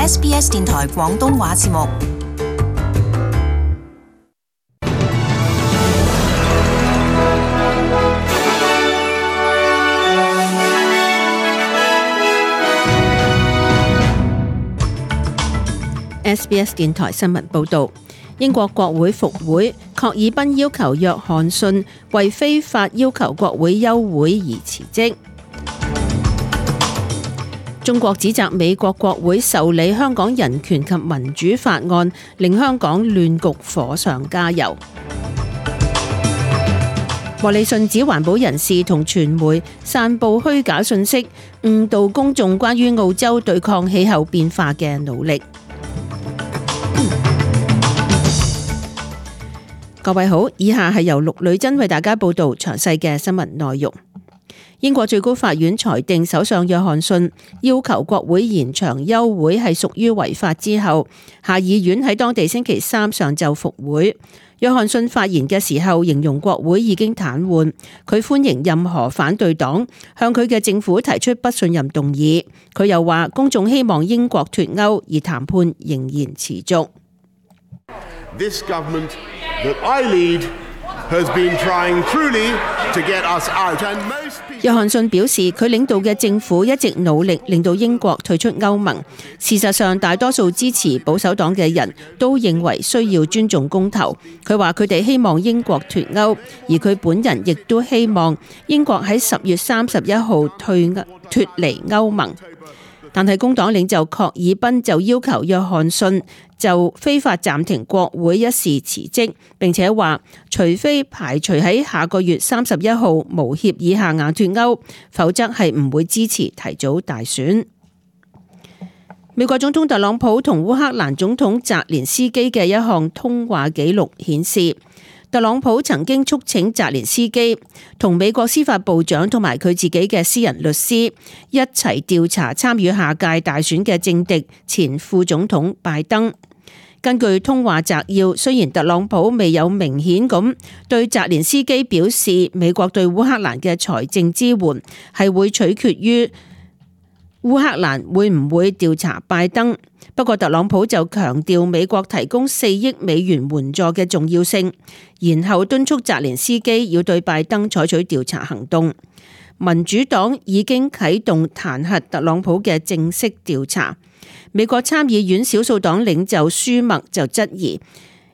SBS 電台廣東話節目。SBS 電台新聞報導，英國國會復會，郝爾彬要求約翰遜為非法要求國會休會而辭職。中國指責美國國會受理香港人權及民主法案，令香港亂局火上加油。莫里遜指環保人士同傳媒散佈虛假信息，誤導公眾關於澳洲對抗氣候變化嘅努力。各位好，以下係由陸女珍為大家報道詳細嘅新聞內容。英國最高法院裁定首相約翰遜要求國會延長休會係屬於違法之後，下議院喺當地星期三上晝復會。約翰遜發言嘅時候形容國會已經癱瘓，佢歡迎任何反對黨向佢嘅政府提出不信任動議。佢又話公眾希望英國脫歐，而談判仍然持續。This government that I lead has been trying truly to get us out. And most people... 約翰遜表示，佢領導嘅政府一直努力令到英國退出歐盟。事實上，大多數支持保守黨嘅人都認為需要尊重公投。佢話佢哋希望英國脫歐，而佢本人亦都希望英國喺10月31號脫離歐盟。但係工黨領袖郝爾彬就要求約翰遜就非法暫停國會一事辭職，並且話除非排除喺下個月31號無協議下硬脫歐，否則係唔會支持提早大選。美國總統特朗普同烏克蘭總統澤連斯基嘅一項通話記錄顯示，特朗普曾經促請澤連斯基同美國司法部長同埋佢自己嘅私人律師一齊調查參與下屆大選嘅政敵前副總統拜登。根據通話摘要，雖然特朗普未有明顯咁對澤連斯基表示美國對烏克蘭嘅財政支援係會取決於烏克蘭會唔會調查拜登，不過特朗普就強調美國提供4億美元援助嘅重要性，然後敦促澤連斯基要對拜登採取調查行動。民主黨已經啟動彈劾特朗普嘅正式調查。美國參議院少數黨領袖舒默就質疑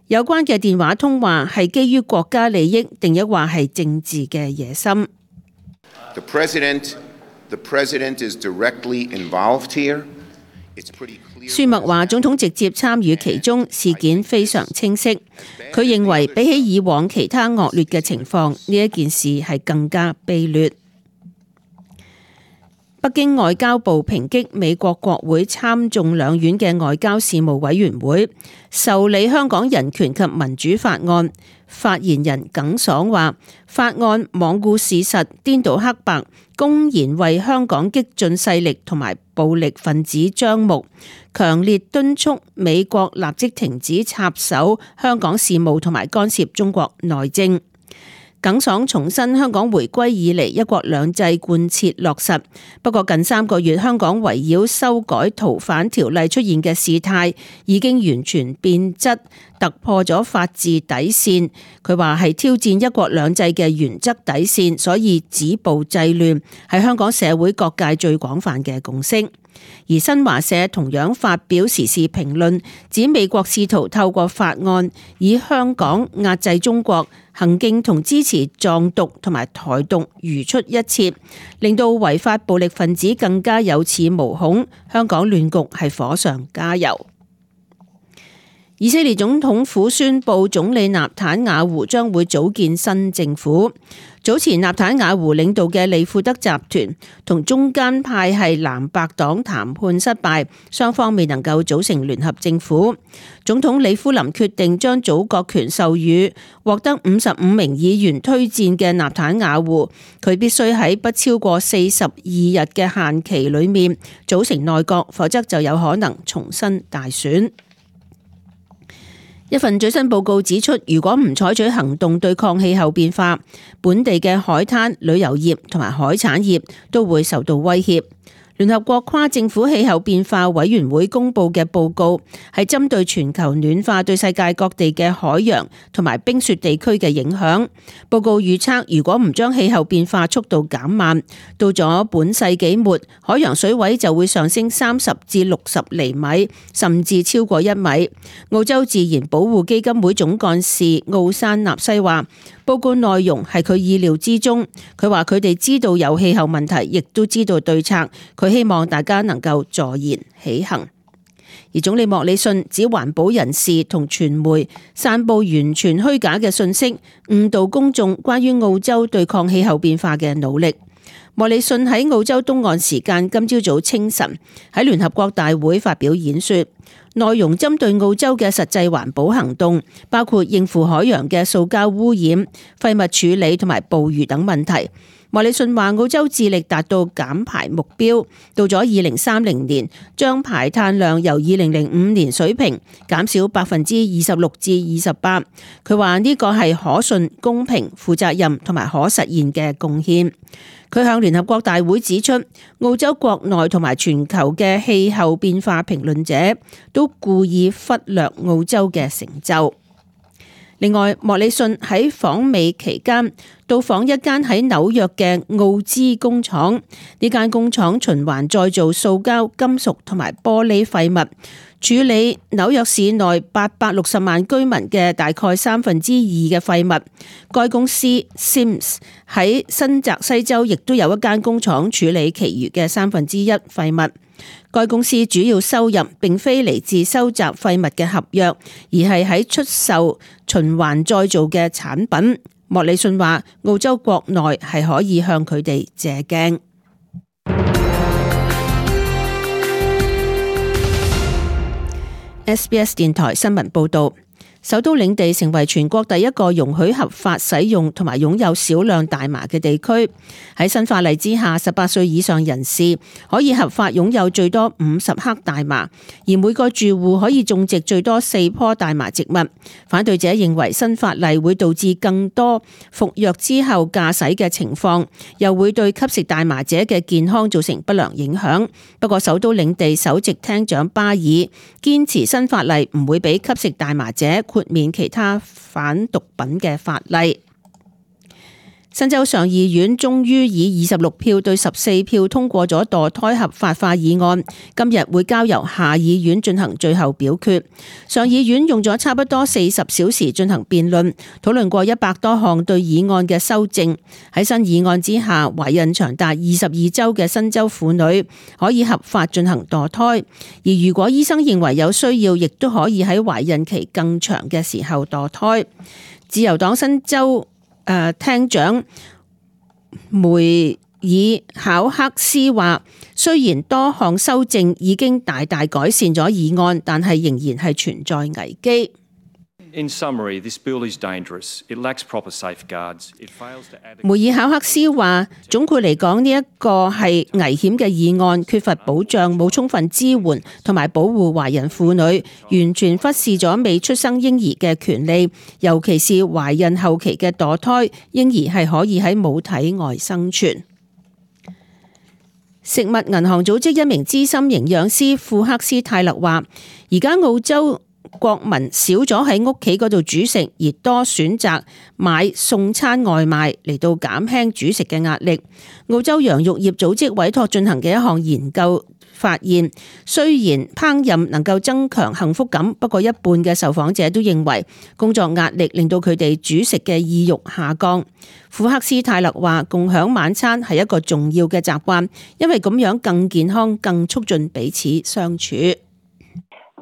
有關嘅電話通話係基於國家利益，定抑或係政治嘅野心。The president is directly involved here. It's pretty clear. 舒默話總統直接參與其中，事件非常清晰。佢認為比起以往其他惡劣嘅情況，呢一件事係更加卑劣。北京外交部抨擊美國國會參眾兩院嘅外交事務委員會受理香港人權及民主法案。發言人耿爽話，法案罔顧事實，顛倒黑白，公然為香港激進勢力同埋暴力分子張目，強烈敦促美國立即停止插手香港事務同埋干涉中國內政。耿爽重申香港回歸以嚟一國兩制貫徹落實，不過近3個月香港圍繞修改逃犯條例出現嘅事態已經完全變質，突破咗法治底線。佢話係挑戰一國兩制嘅原則底線，所以止暴制亂係香港社會各界最廣泛嘅共識。而新華社同樣發表時事評論，指美國試圖透過法案以香港壓制中國行徑同支持藏獨同埋台獨如出一轍，令到違法暴力分子更加有恃無恐，香港亂局係火上加油。以色列總統府宣布總理納坦雅胡將會組建新政府。早前納坦雅胡領導嘅利庫德集團同中間派系藍白黨談判失敗，雙方未能夠組成聯合政府。總統里夫林決定將組閣權授予獲得55名議員推薦嘅納坦雅胡，佢必須喺不超過42日嘅限期裏面組成內閣，否則就有可能重新大選。一份最新報告指出，如果唔採取行動對抗氣候變化，本地嘅海灘、旅遊業同埋海產業都會受到威脅。聯合國跨政府氣候變化委員會公布嘅報告係針對全球暖化對世界各地嘅海洋同埋冰雪地區嘅影響。報告預測，如果唔將氣候變化速度減慢，到咗本世紀末，海洋水位就會上升30至60厘米，甚至超過1米。澳洲自然保護基金會總幹事奧山納西話，報告內容係佢意料之中。佢話佢哋知道有氣候問題，亦都知道對策。佢希望大家能夠坐言起行。而總理莫里遜指環保人士同傳媒散布完全虛假嘅信息，誤導公眾關於澳洲對抗氣候變化嘅努力。莫里遜喺澳洲東岸時間今朝早清晨喺聯合國大會發表演說，內容針對澳洲嘅實際環保行動，包括應付海洋嘅塑膠污染、廢物處理同埋捕魚等問題。莫里遜話，澳洲致力達到減排目標，到咗2030年，將排碳量由2005年水平減少26%至28%。佢話呢個係可信、公平、負責任同埋可實現嘅貢獻。佢向聯合國大會指出，澳洲國內同埋全球嘅氣候變化評論者都故意忽略澳洲嘅成就。另外，莫里遜喺訪美期間到訪一間喺紐約嘅澳資工廠，呢間工廠循環再造塑膠、金屬同埋玻璃廢物，處理紐約市內860萬居民嘅大概2/3嘅廢物。該公司 Sims 喺新澤西州亦都有一間工廠處理其餘嘅1/3廢物。該公司主要收入並非嚟自收集廢物嘅合約，而係喺出售循環再造嘅產品。莫里遜話，澳洲國內係可以向佢哋借鏡。SBS 電台新聞報道。首都領地成為全國第一個容許合法使用同埋擁有少量大麻嘅地區。喺新法例之下，18歲以上人士可以合法擁有最多50克大麻，而每個住戶可以種植最多4棵大麻植物。反對者認為新法例會導致更多服藥之後駕駛嘅情況，又會對吸食大麻者嘅健康造成不良影響。不過，首都領地首席廳長巴爾堅持新法例唔會俾吸食大麻者豁免其他反毒品嘅法例。新州上議院終於以26票對14票通過咗墮胎合法化議案，今日會交由下議院進行最後表決。上議院用咗差不多40小時進行辯論，討論過100多項對議案嘅修正。喺新議案之下，懷孕長達22週嘅新州婦女可以合法進行墮胎，而如果醫生認為有需要，亦都可以喺懷孕期更長嘅時候墮胎。自由黨新州廳長梅爾考克斯話，雖然多項修正已經大大改善咗議案，但係仍然係存在危機。In summary, this bill is dangerous. It lacks proper safeguards. It fails to adequately... 梅爾考克斯話，總括嚟講，呢一個係危險嘅議案，缺乏保障，冇充分支援同埋保護懷孕婦女，完全忽視咗未出生嬰兒嘅權利，尤其是懷孕後期嘅墮胎，嬰兒係可以喺母體外生存。食物銀行組織一名資深營養師庫克斯泰勒話，而家澳洲國民少咗喺屋企嗰度煮食，而多選擇買送餐外賣嚟到減輕煮食嘅壓力。澳洲羊肉業組織委託進行嘅一項研究發現，雖然烹飪能夠增強幸福感，不過一半嘅受訪者都認為工作壓力令到佢哋煮食嘅意欲下降。庫克斯泰勒話，共享晚餐係一個重要嘅習慣，因為咁樣更健康，更促進彼此相處。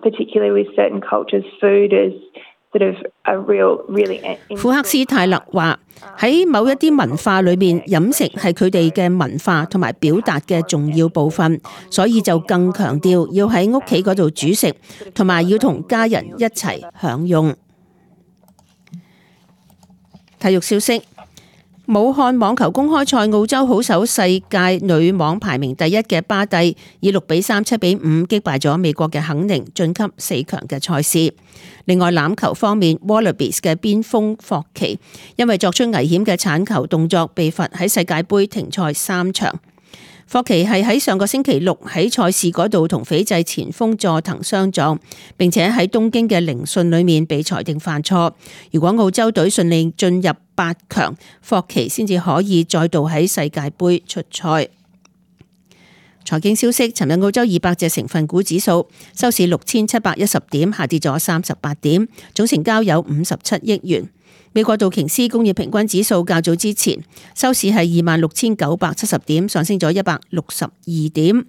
Particularly with certain cultures, food is sort of a really... 庫克斯泰勒話，喺某一啲文化裏面，飲食係佢哋嘅文化同埋表達嘅重要部分，所以就更強調要喺屋企嗰度煮食，同埋要同家人一齊享用。體育消息。武漢網球公開賽，澳洲好手世界女網排名第1嘅巴蒂以6-3、7-5擊敗咗美國嘅肯寧，晉級4強嘅賽事。另外欖球方面 ，Wallabies 嘅邊鋒霍奇因為作出危險嘅鏟球動作被罰喺世界盃停賽3場。霍奇係喺上個星期六喺賽事嗰度同斐濟前鋒佐藤相撞，並且喺東京嘅聆訊裏面被裁定犯錯。如果澳洲隊順利進入8強，霍奇先至可以再度喺世界盃出賽。財經消息，尋日澳洲200隻成分股指數收市6710點，下跌咗38點，總成交有57億元。美國道瓊斯工業平均指數較早之前收市係26,970點，上升咗162點。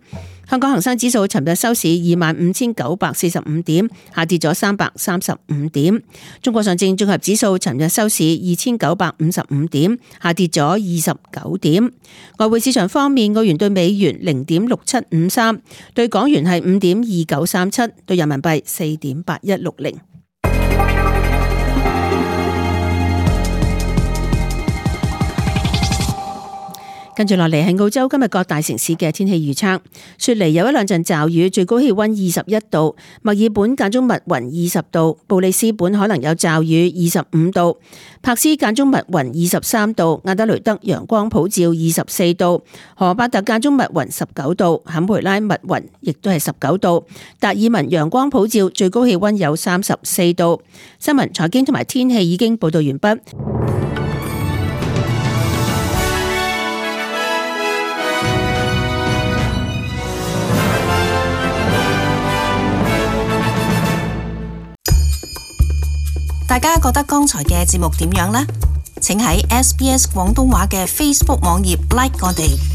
香港恒生指數尋日收市25,945點，下跌咗335點。中國上證綜合指數尋日收市2,955點，下跌咗29點。外匯市場方面，澳元對美元0.6753，對港元係5.2937，對人民幣4.8160。跟住落嚟係澳洲今日各大城市嘅天氣預測。雪梨有一兩陣驟雨，最高氣溫21度；墨爾本間中密雲20度；布里斯本可能有驟雨25度；柏斯間中密雲23度；阿德雷德陽光普照24度；荷伯特間中密雲19度；坎培拉密雲亦都係19度；達爾文陽光普照，最高氣溫有34度。新聞、財經同埋天氣已經報道完畢。大家覺得剛才嘅節目點樣呢？請喺SBS 廣東話嘅 Facebook 網頁 like 我哋。